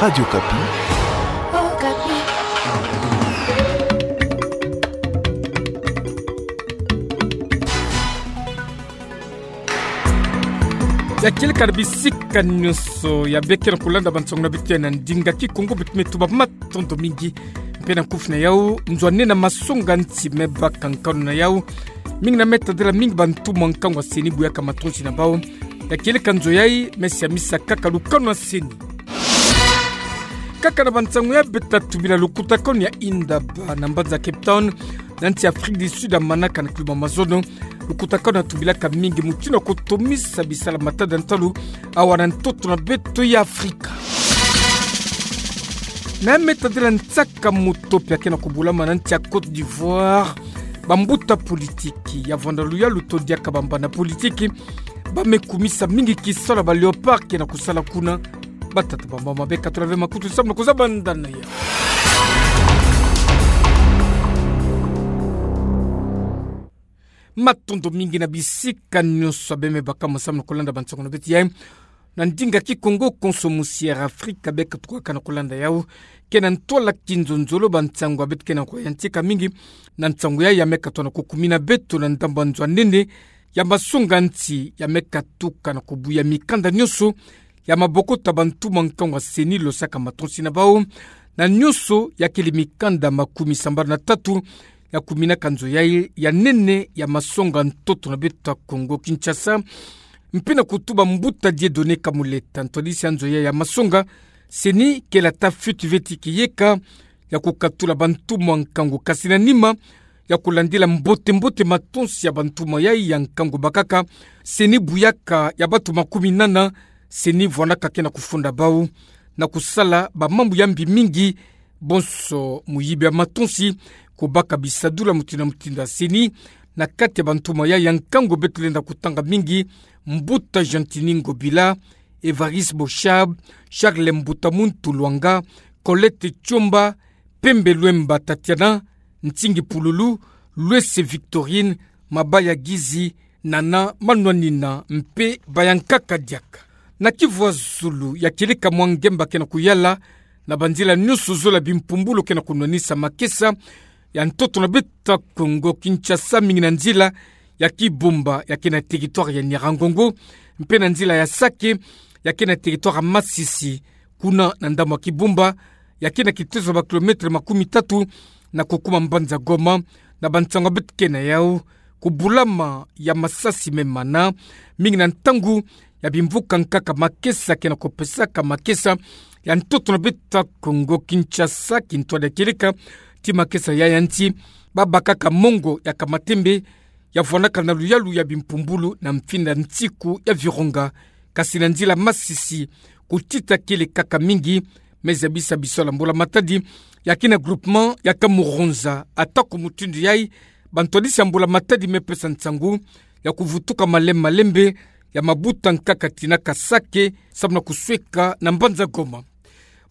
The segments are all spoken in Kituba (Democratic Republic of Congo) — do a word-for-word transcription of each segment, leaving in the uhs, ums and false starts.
Radio Okapi. Ya kieleka na bisika nyonso ya beke na kulanda bansangu na beto ya na ndinga Kikongo, beto me tuba matondo mingi. Mpe na nkufi na yau, nzo a nene ya masonga nti me baka nkanu na yau. Mingi na me tadila mingi bantumwa nkangu ya CENI buyaka matonsi na bau. Ya kieleka nzo yai, me siamisa kaka lukanu na CENI. Kaka na bansangu ya beto, tubila lukutakanu ya Indaba na mbanza Cape Town, na nsi Afrique du Sud, amanaka na climat mazono. Lukutakanu tubilaka mingi mutindu ya kutomisa bisala matadi ya ntalu awa na ntoto na beto ya Afrika. Na me tadila nsaka moto pia ke na kubulama na nsi ya Côte d'Ivoire. Bambuta politiki ya vwanda luyalu to diaka bambana politiki, ba me kumisa mingi kisalu ya ba léopard ke na kusala kuna. Batata, bamama, bekatula ve makutu samu na kuzaba ndana ya. Matondo mingi na bisika nyonso ya beme baka mo samu na kulanda bansangu na beto yai. Na ndinga Kikongo konso musi Air Afrique beka tukaka na kulanda yau. Ke na ntwala kinzonzolo bansangu ya beto ke na kuyantika mingi. Na nsangu yai ya me katuka na kukumina beto na ndambu ya nzo a nene ya masonga nti ya me katuka na kubuya mikanda nyonso ya maboko ta bantumwa nkangu ya CENI losaka matonsi na bau. Na nyonso ya kele mikanda makumi sambanu na tatu ya kuminaka nzo yai ya nene ya masonga ntoto na beto ya Kongo Kinshasa. Mpe na kutuba mbuta Dieudonné Kamuleta, ntwadisi ya nzo yai ya masonga, CENI kele ata fiti ve ti kiyeka ya kukatula bantumwa nkangu, kasi na nima ya kulandila mbote-mbote matonsi ya bantumwa yai ya nkangu bakaka, CENI buyaka ya batu makumi nana, CENI vwanaka ke na kufunda bau na kusala bamambu ya mbi mingi, bonso muyibi ya matonsi, kubaka bisadulu ya mutindu na mutindu ya CENI. Na kati ya bantumwa yai ya nkangu beto lenda kutanga mingi, mbuta Gentiny Ngobila, Évariste Boshab, Charles Mbuta Muntu Lwanga, Colette Tshiomba, Pembe Luemba Tatiana, Ntingi Pululu, Luese Victorine, Mabaya Gizi, Nana Manwanina mpe bayankaka diaka. Na Kivu ya zulu, ya kieleka mwa ngemba ke na kuyala na banzila nyonso zole ya bimpumbulu ke na kunwanisa makesa ya ntoto na beto ya Kongo Kinshasa, mingi na nzila ya Kibumba ya ke na territoire ya Nyiragongo, mpe na nzila ya Sake ya ke na territoire ya Masisi, kuna na ndambu ya Kibumba, ya ke na kitezo ya ba kilomètre makumi tatu na kukuma mbanza Goma. Na bansangu ya beto ke na yau, kubulama ya masasi me mana, mingi na ntangu ya bimvuka nkaka makesa ke na kupesaka makesa ya ntoto na beto ya Kongo Kinshasa, kintwadi ya kieleka ti makesa yai ya nti, babakaka mongo ya kamatembe, ya vwanaka na luyalu ya bimpumbulu na mfinda nsiku ya Virunga, kasi na nzila Masisi, kutita kielekaka mingi. Me zabisa biso na mbula-matadi ya ke na groupement ya Kamuronza, atako mutindu yai bantwadisi ya mbula-matadi me pesa nsangu ya kuvutuka malembe-malembe ya mabuta nkaka tina ka Sake, samu na kusweka na mbanza Goma.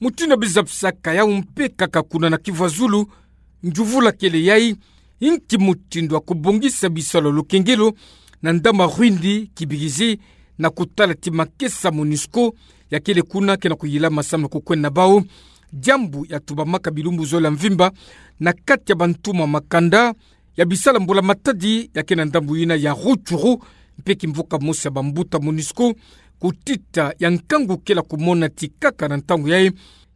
Mutindu ya bizabisaka yau mpe kaka kuna na Kivu ya zulu, njuvula kele yai, inki mutindu ya kubongisa bisalu ya lukengelo na ndambu ya Rwindi Kibirizi, na kutala ti makesa MONUSCO ya kele kuna ke na kuyilama samu na kukwenda na bau, diambu ya tubamaka bilumbu zole ya mvimba na kati ya bantumwa makanda ya bisalu ya mbula-matadi ya ke na ndambu yina ya Rutshuru, mpe kimvuka mosi ya bambuta MONUSCO, kutita ya nkangu kele ya kumona ti kaka na ntangu yai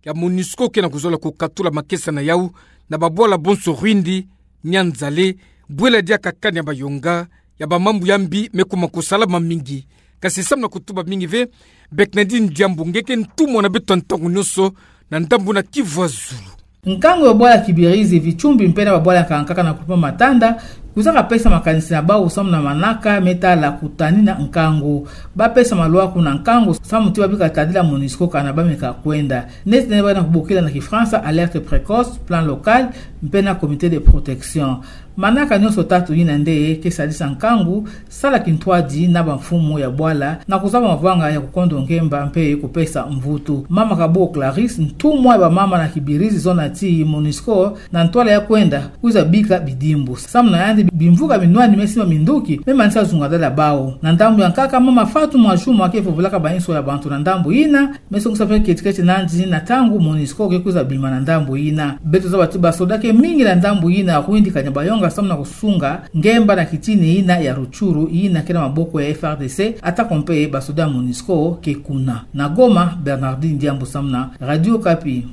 ya MONUSCO ke na kuzola kukatula makesa na yau na babwala bonso Rwindi, Nyanzale, bwela diaka kani ya bayonga, ya bamambu ya mbi me kuma kusalama mingi. Kasi samu na kutuba mingi ve, beke na di diambu nge ke ntumwa na beto ya ntangu nyonso na ndambu na Kivu ya zulu. Nkangu ya bwala Kibirizi, Vichumbi mpe na babwala nkaka nkaka na groupement Matanda, kwizaka pesa makanisi na bau samu na manaka me tala kutanina nkangu. Bapesa malwaku na nkangu samu ti babika tadila MONUSCO kana bameka kwenda. Neti nene bana kubokila na Kifransa alerte précoce, plan local, mpe na comité de protection. Manaka nyonso tatu yina nde ke sadisa nkangu, sala kintwadi na bamfumu ya bwala, na kuzaba mavanga ya kukondo ngemba mpe kupesa mvutu. Mama Kabuo Clarisse, ntumwa ya bamama na kibirizi zona ti MONUSCO, na ntwala ya kwenda kwiza bika bidimbu. Samu na yandi, bimvuka binwani me simba minduki me manisa zunga dala bau. Na ndambu ya nkaka, mama Fatou Mwadjuma ke vovulaka ba inso ya bantu na ndambu yina, me songisa mpe keti-keti nandi na ntangu MONUSCO ke kwiza bima na ndambu yina. Beto zaba ti basoda ke mingi na ndambu yina, kuyindikanya bayonga samu na kusunga ngemba na kitini yina ya Rutshuru, yina ke na maboko ya F A R D C, atako mpe basoda ya MONUSCO ke kuna. Na Goma, Bernardine Diambu samu na Radio Okapi.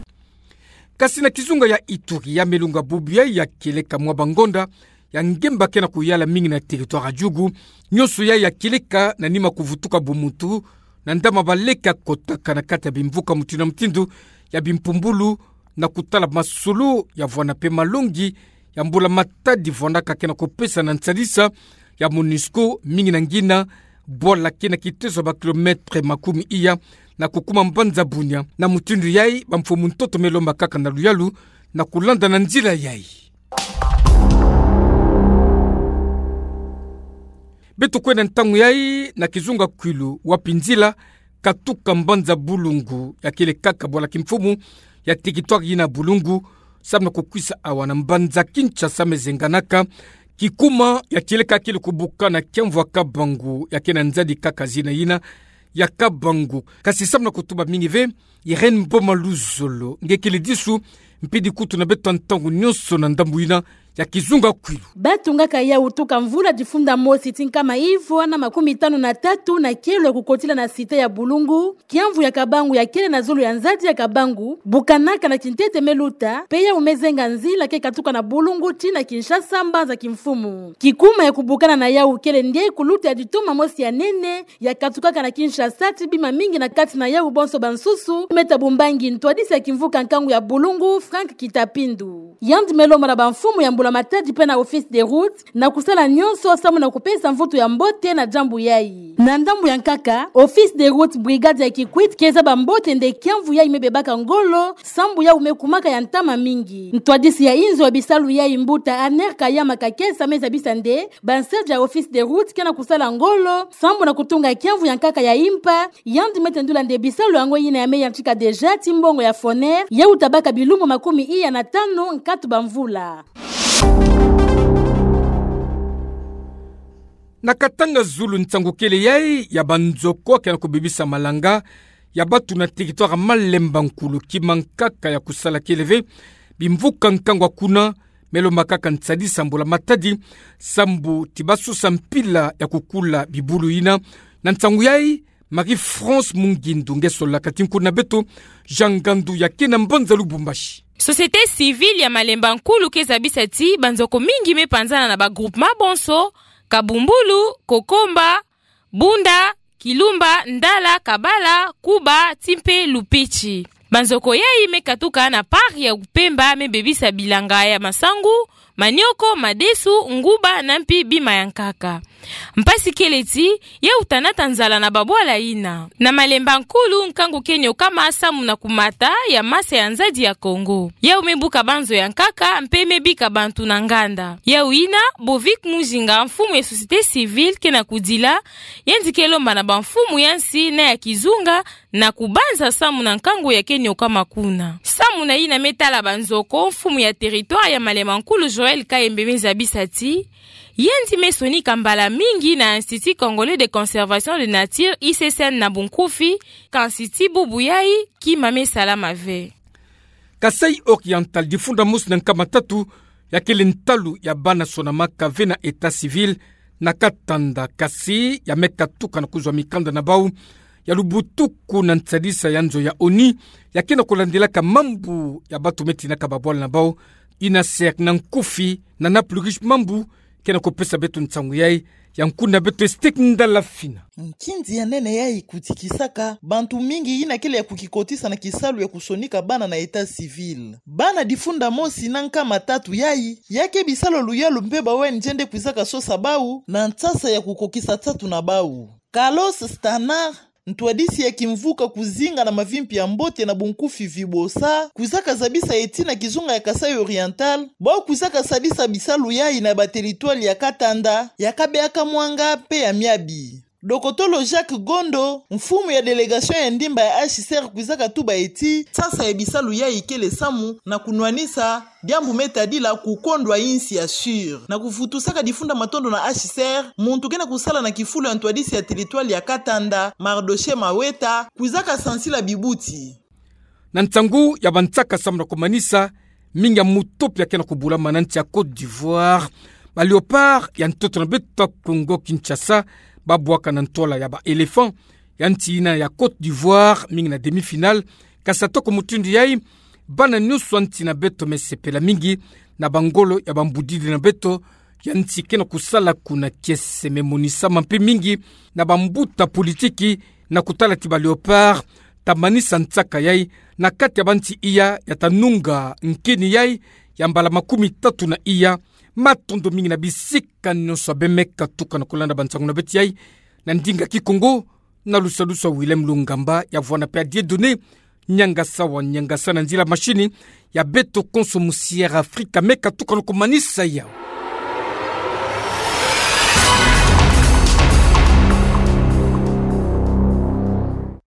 Kasi na kizunga ya Ituri, ya Melunga bubu yai ya kieleka mwa bangonda ya ngemba ke na kuyala mingi na territoire ya Djugu, nyonso yai ya kieleka na nima kuvutuka bumuntu, na ndama baleka kotaka na kati ya bimvuka mutindu na mutindu ya bimpumbulu, na kutala masolo ya vwanda mpe malongi ya mbula-matadi vwandaka ke na kupesa na nsadisa ya MONUSCO, mingi na ngina bwala ke na kiteso ya ba kilomètre makumi iya na kukuma mbanza Bunia. Na mutindu yai, bamfumu ntoto me lomba kaka na luyalu na kulanda na nzila yai. Beto kwenda ntangu yai na kizunga Kwilu, wapi nzila katuka mbanza Bulungu ya kieleka kaka bwala kimfumu ya territoire yina Bulungu, samu na kukwisa awa na mbanza Kinshasa me zenganaka kikuma ya kieleka kele kubuka na kiamvu ya Kabangu, ya ke na nzadi kaka zina yina ya Kabangu. Kasi samu na kutuba mingi ve, Irène Mboma Luzolo nge kele disu mpidi kutu na beto ntangu nyonso na ndambu yina ya kizunga Kwilu. Batungaka yawu tuka mvula difunda mosi ti nkama ivwa na makumi tanu na tatu na kielo ya kukotila na cité ya Bulungu, kiamvu ya Kabangu ya kele na zulu ya nzadi ya Kabangu, bukanaka na kintete me luta, mpe yawu me zenga nzila ke katuka na Bulungu tii na Kinshasa, mbanza kimfumu. Kikuma ya kubukana na yawu kele nde kuluta ya ditoma mosi ya nene, ya katukaka na Kinshasa tii bima mingi na kati na yawu bonso bansusu, Me Thabo Mbangi, ntwadisi ya kimvuka nkangu ya Bulungu, Franck Kitapindu. Yandi me lomba na bamfumu ya mbula-matadi mpe na Office des routes na kusala nyonso samu na kupesa mvutu ya mbote na diambu yai. Na ndambu ya nkaka, Office des routes, brigade ya Kikwit ke zaba mbote nde kiamvu yai me bebaka ngolo, sambu yawu me kumaka ya ntama mingi. Ntwadisi ya inzo ya bisalu yai, mbuta Aner Kayama Kakesa, me zabisa nde bansadi ya Office des routes ke na kusala ngolo sambu na kutunga kiamvu ya nkaka ya Impa. Yandi me tendula nde bisalu yango yina ya me yantika déjà tii mbongo ya FONER, yawu tabaka bilumbu makumi iya na tanu nkatu bamvula. Na Katanga zulu, nsangu kele yai ya banzoko ke na kubebisa malanga ya batu na territoire Malemba Nkulu. Kima nkaka ya kusala kele ve, bimvuka nkangu ya kuna me lomba kaka nsadisa mbula-matadi sambu ti basosa mpila ya kukula bibulu yina. Na nsangu yai, Marie-France Mungindu nge solaka ti nkuna beto Jean Ngandu ya ke na mbanza Lubumbashi. Société civile ya Malemba Nkulu ke zabisa ti banzoko mingi me panzana na ba groupement bonso: Kabumbulu, Kokomba, Bunda, Kilumba, Ndala, Kabala, Kuba, tii mpe Lupitshi. Banzoko yai me katuka na parc ya Upemba, me bebisa bilanga ya masangu, manioko, madesu, nguba na mpi bima ya nkaka. Mpasi kele ti yawu ta nata nzala na babwala yina. Na Malemba Nkulu, nkangu ke niokama samu na kumata ya masa ya nzadi ya Kongo. Yawu me buka banzo ya nkaka mpe me bika bantu na nganda. Yawu yina Bovic Muzinga, mfumu ya société civile, ke na kudila, yandi ke lomba na bamfumu ya nsi na ya kizunga na kubanza samu na nkangu ya ke niokama kuna. Samu na yina me tala banzoko, mfumu ya territoire ya Malemba Nkulu Joël Kayembe me zabisa ti yandi me sonika mbala mingi na Institut Congolais de Conservation de Nature, I C C N na bunkufi, kansi tii bubu yai kima me salama ve. Kasaï Oriental, difunda mosi na nkama tatu ya kele ntalu ya bana sonamaka ve na état civil na Katanda, kasi ya me katuka na kuzwa mikanda na bau ya lubutuku na nsadisa ya nzo ya ONU ya ke na kulandilaka mambu ya batu me tinaka babwala na bau, UNHCR na nkufi, na Naples Riche, mambu ke na kupesa beto nsangu yai ya nkuna beto Estek Ndalafina. Nkinzi ya nene yai kutikisaka bantu mingi yina kele ya kukikotisa na kisalu ya kusonika bana na état civil. Bana difunda mosi na nkama tatu yai, ya ke bisalu ya luyalu mpe ba O N G nde kwizaka sosa bau na nsasa ya kukokisa nsatu na bau. Carlos Stanar, ntwadisi ya kimvuka kuzinga na mavimpi ya mbote na bunkufi vibosa, kwizaka zabisa eti na kizunga ya Kasaï Oriental, bwa kwizaka sadisa bisalu yayi na bateritwali ya Katanda, ya Kabeya-Kamwanga mpe ya Miabi. Dokotolo Jacques Gondo, mfumu ya délégation ya ndimba ya H C R, kwizaka tuba eti, sasa ya bisalu yayi kele samu na kunwanisa diambu me tadila kukondwa insi ya SUR. Na kuvutusaka difunda matondo na H C R, muntu ke na kusala na kifulu ya ntwadisi ya teritwali ya Katanda, Mardochée Maweta, kwizaka sansila bibuti. Na ntangu ya bansaka samu na kumanisa, mingi ya mutopi ya ke na kubulama na nsi ya Côte d'Ivoire. Ba Léopards ya ntoto na beto ya Congo-Kinshasa, babwaka na ntwala ya ba Éléphants ya nsi ina ya Côte d'Ivoire, mingi na demi-finale. Kasi atako mutindu yayi, bana nyonso ya nsi na beto me sepela mingi na bangolo ya bambudidi na beto ya nsi ke na kusala kuna kiese. Me monisama mpe mingi na bambuta politiki na kutala ti ba Léopards ta manisa nsaka yayi na kati ya bansi iya ya ta nunga nkeni yayi ya mbala makumi tatu na iya. Matondo mingi na bisika nyonso abe me katuka na kulanda bansangu na beto yayi na ndinga Kikongo, na lusadusu ya Willem Lungamba, ya vwanda mpe ya Dieudonné Niangasa wa Niangasa na nzila machine. Ya beto konso mu Sierra Africa me katuka na kumanisa yawu.